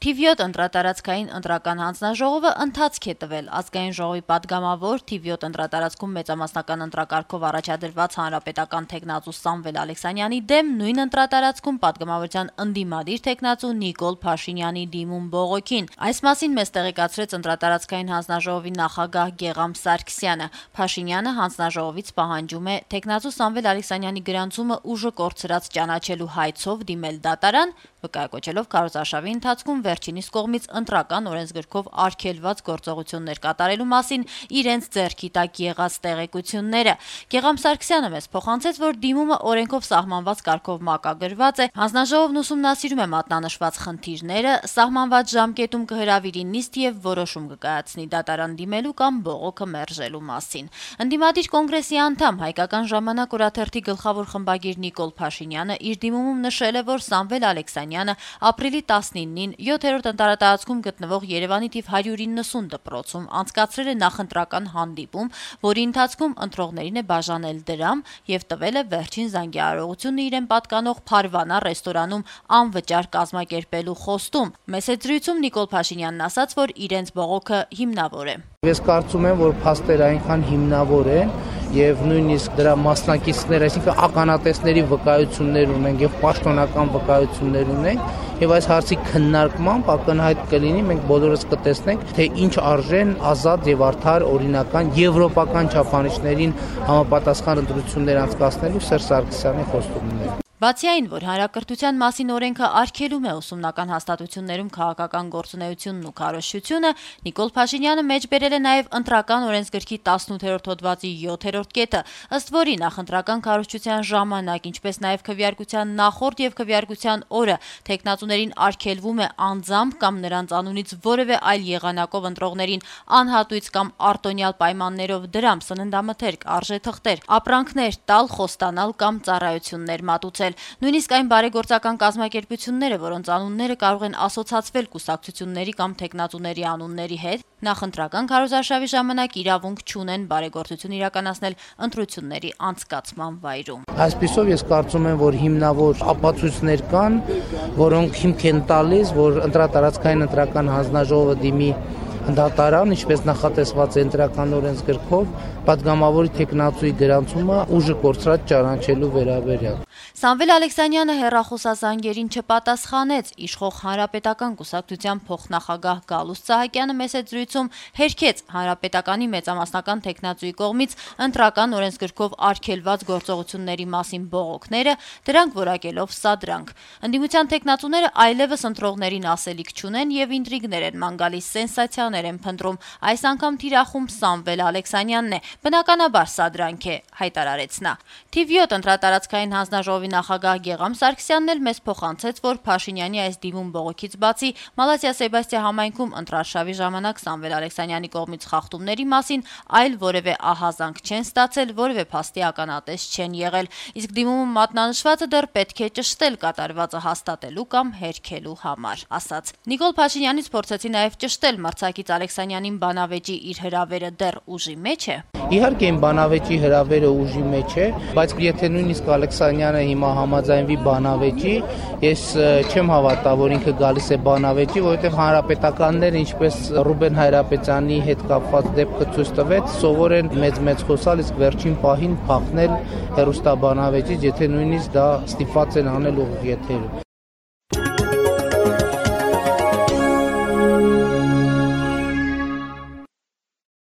Թիվ 7 ընտրատարածքային ընտրական հանձնաժողովը ընթացք է տվել ազգային ժողովի պատգամավոր թիվ 7 ընտրատարածքում մեծամասնական ընտրակարգով առաջադրված հանրապետական թեկնածու Սամվել Ալեքսանյանի դեմ նույն ընտրատարածքում պատգամավորության ընդդիմադիր թեկնածու Նիկոլ Փաշինյանի դիմում բողոքին։ Այս մասին մեզ տեղեկացրեց ընտրատարածքային հանձնաժողովի նախագահ Գեգամ Սարգսյանը։ Փաշինյանը հանձնաժողովից պահանջում է թեկնածու Սամվել Ալեքսանյանի գրանցումը ուժը կորցրած ճանաչելու հայցով դիմել դատարան, վկայակոչելով քարոզարշավի ընթացքում վերջինիս կողմից ընտրական օրենսգրքով արգելված գործողություններ կատարելու մասին իրենց ձեռքի տակ եղած տեղեկությունները։ Գեգամ Սարգսյանը մեզ փոխանցեց, որ դիմումը օրենքով սահմանված կարգով մակագրված է, հանձնաժողովն ուսումնասիրում է մատնանշված խնդիրները, սահմանված ժամկետում կհրավիրի նիստ եւ որոշում կկայացնի դատարան դիմելու կամ բողոքը մերժելու մասին։ Ընդդիմադիր կոնգրեսի անդամ Հայկական ժամանակ օրաթերթի գլխավոր խմբագիր Նիկոլ Փաշինյանը իր դիմումում նշել է, որ Սամվել Ալեքսանյանը ապրիլի 19-ին 7-րդ ընտրատարածքում գտնվող Երևանի թիվ 190 դպրոցում անցկացրել է նախընտրական հանդիպում, որի ընթացքում ընտրողներին է բաժանել դրամ եւ տվել է վերջին զանգահարողությունը իրեն պատկանող Փարվանա ռեստորանում անվճար կազմակերպելու խոստում։ Մեծ զրույցում Նիկոլ Փաշինյանն ասաց, որ իրենց բողոքը հիմնավոր է։ Ես կարծում եմ, որ փաստերը այնքան հիմնավոր են եւ նույնիսկ դրա մասնակիցներ, այսինքն ականատեսների վկայություններ ունենք եւ պաշտոնական վկայություններ ունենք եւ այս հարցի քննարկմամբ ակնհայտ կլինի, մենք բոլորս կտեսնենք, թե ինչ արժեն ազատ եւ արդար օրինական եվրոպական չափանիշներին համապատասխան ընտրություններ անցկացնելու Սերժ Սարգսյանի խոստումները։ Բացի այն, որ հանրակրթության մասին օրենքը արգելում է ուսումնական հաստատություններում քաղաքական գործունեությունն ու քարոզչությունը, Նիկոլ Փաշինյանը մեջբերել է նաև ընտրական օրենսգրքի 18-րդ հոդվածի 7-րդ կետը, ըստ որի նախընտրական քարոզչության ժամանակ, ինչպես նաև քվեարկության նախորդ եւ քվեարկության օրը թեկնածուներին արգելվում է անձամբ կամ նրանց անունից որևէ այլ եղանակով ընտրողներին անհատույց կամ արտոնյալ պայմաններով դրամ, սննդամթերք, արժեթղթեր, ապրանքներ տալ, խոստանալ կամ ծառայություններ մատուցել։ Նույնիսկ այն բարեգործական կազմակերպությունները, որոնց անունները կարող են ասոցացվել կուսակցությունների կամ թեկնածուների անունների հետ, նախընտրական քարոզարշավի ժամանակ իրավունք չունեն բարեգործություն իրականացնել ընտրությունների անցկացման վայրում։ Այսպիսով ես կարծում եմ, որ հիմնավոր ապացույցներ կան, որոնք հիմք են տալիս, որ ընտրատարածքային ընտրական հանձնաժողովը դիմի դատարան, ինչպես նախատեսված է ընտրական օրենսգրքով, պատգամավորի թեկնածուի գրանցումը ուժը կորցրած ճանաչելու վերաբերյալ։ Սամվել Ալեքսանյանը հեռախոսազանգերին չպատասխանեց, իշխող հանրապետական կուսակցության փոխնախագահ Գալուստ Սահակյանը մեծ զրույցում հերքեց հանրապետականի մեծամասնական թեկնածուի կողմից ընտրական օրենսգրքով արգելված գործողությունների մասին բողոքները, դրանք որակելով սադրանք։ Ընդդիմության թեկնածուները այլևս ընտրողներին ասելիք չունեն եւ ինտրիգներ են ման գալիս, սենսացիաներ են փնտրում։ Այս անգամ թիրախում Սամվել Ալեքսանյանն է, բնականաբար սադրանք է, հայտարարեց նա։ Թիվ 7 ընտրատարածքային հանձնաժողովի նախագահ Գեգամ Սարգսյանն էլ մեզ փոխանցեց, որ Փաշինյանի այս դիմում բողոքից բացի Մալազիա Սեբաստիա համայնքում ընտրարշավի ժամանակ Սամվել Ալեքսանյանի կողմից խախտումների մասին այլ որևէ ահազանգ չեն ստացել, որևէ փաստի ականատես չեն եղել, իսկ դիմումում մատնանշվածը դեռ պետք է ճշտել կատարվածը հաստատելու կամ հերքելու համար, ասաց։ Նիկոլ Փաշինյանից փորձեցի նաև ճշտել մրցակից Ալեքսանյանին բանավեճի իր հրավերը դեռ ուժի մեջ է։ Իհարկե իմ բանավեճի հրավերը ուժի մեջ է, բայց եթե նույնիսկ Ալեքսանյանը հիմա համաձայնվի բանավեճի, ես չեմ հավատա, որ ինքը գալիս է բանավեճի, որովհետև հանրապետականները, ինչպես Ռուբեն Հայրապետյանի հետ կապված դեպքը ցույց տվեց, սովոր են մեծ խոսալ, իսկ վերջին պահին փախնել հեռուստաբանավեճից, եթե նույնիսկ դա ստիպված են անել ուղիղ եթերում։